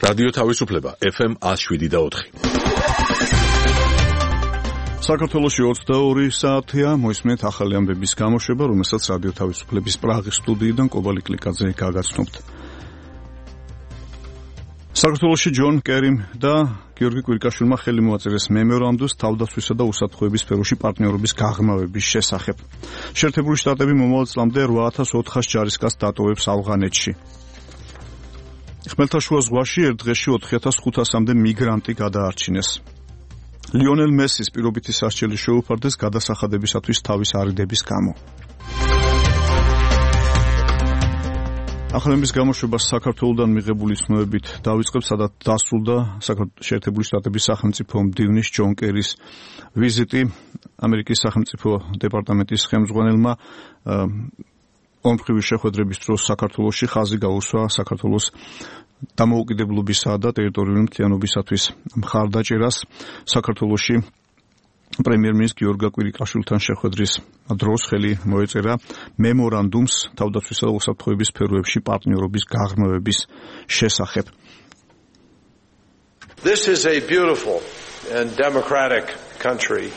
რადიო თავისუფლება FM 107.4. საქართველოში 22 საათია, მოისმენთ ახალი ამბების გამოშვება, რომელსაც რადიო თავისუფლების პრაღის სტუდიიდან კობალი კლიკაძე გაგაცნობთ. საქართველოში ჯონ კერიმ და გიორგი კვირკაშვილმა ხელი მოაწერეს მემორანდუმს თავდაცვისა და უსაფრთხოების სფეროში პარტნიორობის გაღრმავების შესახებ. შეერთებული შტატები მომავალ წლამდე 8400 ჯარისკაცს დატოვებს ავღანეთში. ხმელთაშუა ზღვაში ერთ დღეში 4500-მდე მიგრანტი გადაარჩინეს. ლიონელ მესის პირობითი სასჯელი შეუფარდეს გადასახადებისათვის თავის არიდების გამო. ახალების გამოშვება საქართველოდან მიღებული ცნობებით დავიწყებს, სადაც დასრულდა შეერთებული შტატების სახელმწიფო მდივნის ჯონ კერის ვიზიტი. ამერიკის სახელმწიფო დეპარტამენტის ხელმძღვანელმა ომმხრივი შეხვედრების დროს საქართველოში ხაზი გაუსვა საქართველოს დამოუკიდებლობისა და ტერიტორიული მთლიანობისათვის მხარდაჭერას. საქართველოში პრემიერ-მინისტრ გიორგი კვირიკაშვილთან შეხვედრის დროს ხელი მოეწერა მემორანდუმს თავდაცვისა და უსაფრთხოების სფეროებში პარტნიორობის გაღრმავების შესახებ. This is a beautiful and democratic country.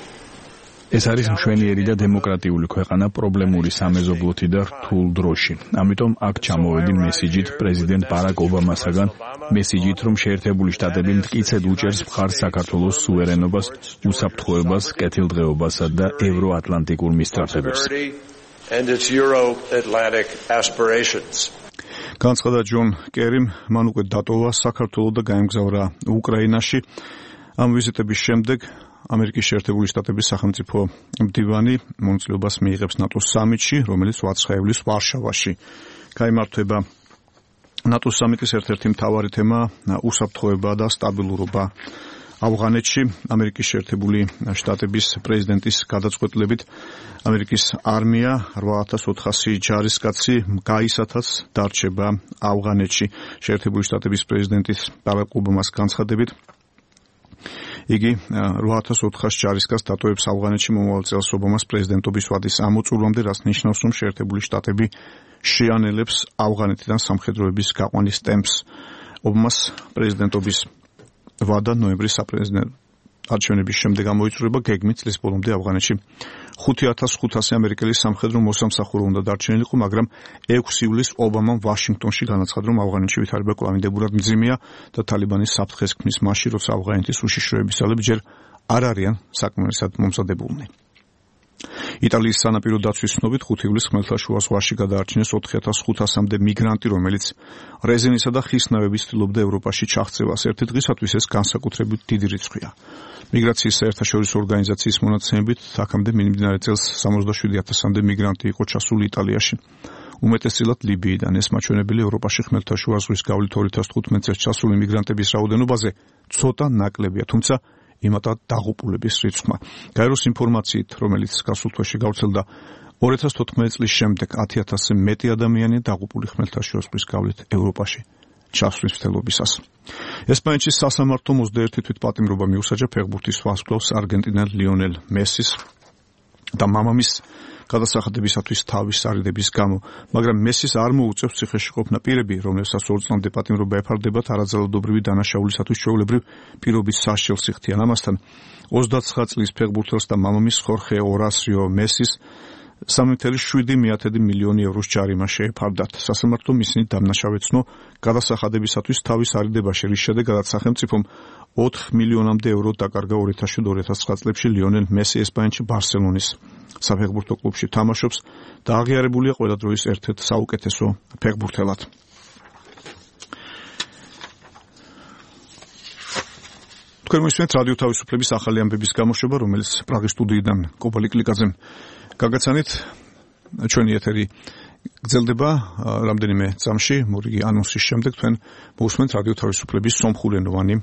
ეს არის მშვენიერი და დემოკრატიული ქვეყანა პრობლემური სამეზობლოთი და რთულ დროში. ამიტომ აქ ჩამოვედი მესიჯით პრეზიდენტ ბარაკ ობამასაგან, მესიჯით, რომ შეერთებული შტატები მტკიცედ უჭერს მხარს საქართველოს სუვერენობას, უსაფრთხოებას, კეთილდღეობასა და ევროატლანტიკურ მისწრაფებებს. განცხადა ჯონ კერიმ, მან უკვე დატოვა საქართველო და გაემგზავრა უკრაინაში. ამ ვიზიტების შემდეგ ამერიკის შეერთებული შტატების სახელმწიფო მდივანი მონაწილეობას მიიღებს ნატოს სამიტში, რომელიც 8 ივლისს ვარშავაში გაიმართება. ნატოს სამიტის ერთ-ერთი მთავარი თემა უსაფრთხოება და სტაბილურობა ავღანეთში. ამერიკის შეერთებული შტატების პრეზიდენტის გადაწყვეტილებით ამერიკის არმია 8400 ჯარისკაცი გაისათაც დარჩება ავღანეთში. შეერთებული შტატების პრეზიდენტის ბარაკ ობამას განცხადებით იგი 8400 ჯარისკაცს დატოვებს ავღანეთში მომავალ წელს ობამას პრეზიდენტობის ვადის ამოწურვამდე, რაც ნიშნავს, რომ შეერთებული შტატები შეანელებს ავღანეთიდან სამხედროების გაყვანის ტემპს. ობამას პრეზიდენტობის ვადა ნოემბრის საპრეზიდენტო არჩევნების შემდეგ გამოიწურება, გეგმით წლის ბოლომდე ავღანეთში 5500 ამერიკელი სამხედრო მოსამსახურო უნდა დარჩენილიყო, მაგრამ 6 ივლისს ობამამ ვაშინგტონში განაცხადა, რომ ავღანეთში ვითარება კვლავინდებურად მძიმეა და თალიბანის საფრთხეს ქმნის მასში, როცა ავღანეთის უშიშროების ძალები ჯერ არ არიან საკმარისად მომზადებულნი. იტალიის სანაპირო დაცვის ცნობით 5 ივლისს ხმელთაშუა ზღვაში გადაარჩინეს 4500-მდე მიგრანტი, რომელიც რეზინისა და ხის ნავებით ცდილობდა ევროპაში ჩაღწევას. ერთი დღისათვის ეს განსაკუთრებით დიდი რიცხვია. მიგრაციის საერთაშორისო ორგანიზაციის მონაცემებით, აქამდე მიმდინარე წელს 77000-მდე მიგრანტი იყო ჩასული იტალიაში. უმეტესწილად ლიბიიდან. ეს მაჩვენებელი ევროპაში ხმელთაშუა ზღვის გავლით 2015 წელს ჩასული მიგრანტების რაოდენობაზე ცოტა ნაკლებია, თუმცა იმატად დაღუპულების რიცხვმა. გაეროს ინფორმაციით, რომელიც გასულ თვეში გავრცელდა, 2014 წლის შემდეგ 10000-ზე მეტი ადამიანია დაღუპული ხმელთაშუა ზღვის გავლით ევროპაში ჩასვლის მცდელობისას. ესპანეთის სასამართლომ 21 თვითპატიმრობა მიუსაჯა ფეხბურთის ვარსკვლავს არგენტინელ ლიონელ მესის და მამამის გადასახადებისათვის თავის არიდების გამო, მაგრამ მესის არ მოუწევს ციხეში ყოფნა პირები, რომლებსაც 2 წლამდე პატიმრობა ეფარდებათ არაძალადობრივი დანაშაულისათვის ჩვეულებრივ პირობის სასჯელს იხდიან. ამასთან 29 წლის ფეხბურთელს და მამამის ხორხე ორასიო მესის 3,7 მილიონი ევროს ჯარიმა შეეფარდათ. სასამართლომ ისინი დამნაშავეცნო გადასახადებისათვის თავის არიდებაში, რის შედეგადაც სახელმწიფომ 4 მილიონამდე ევრო დაკარგა 2007-2009 წლებში ლიონელ მესი ესპანეთში ბარსელონის საფეხბურთო კლუბში თამაშობს და აღიარებულია ყველა დროის ერთ-ერთ საუკეთესო ფეხბურთელად. თქვენ მოისმენთ რადიო თავისუფლების ახალი ამბების გამოშვება, რომელიც პრაღის სტუდიიდან კობალი კლიკაძემ გაგაცანით. ჩვენი ეთერი გრძელდება რამდენიმე წამში, მორიგი ანონსის შემდეგ თქვენ მოусმენთ რადიო თავისუფლების სომხურენოვანი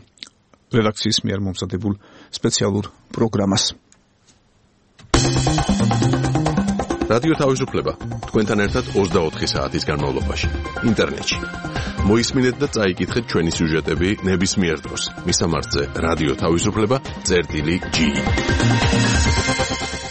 რედაქციის მიერ მომზადებულ სპეციალურ პროგრამას. რადიო თავისუფლება თქვენთან ერთად 24 საათის განმავლობაში ინტერნეტში. მოისმინეთ და წაიკითხეთ ჩვენი სიუჟეტები ნებისმიერ დროს. მისამართზე რადიო თავისუფლება.ge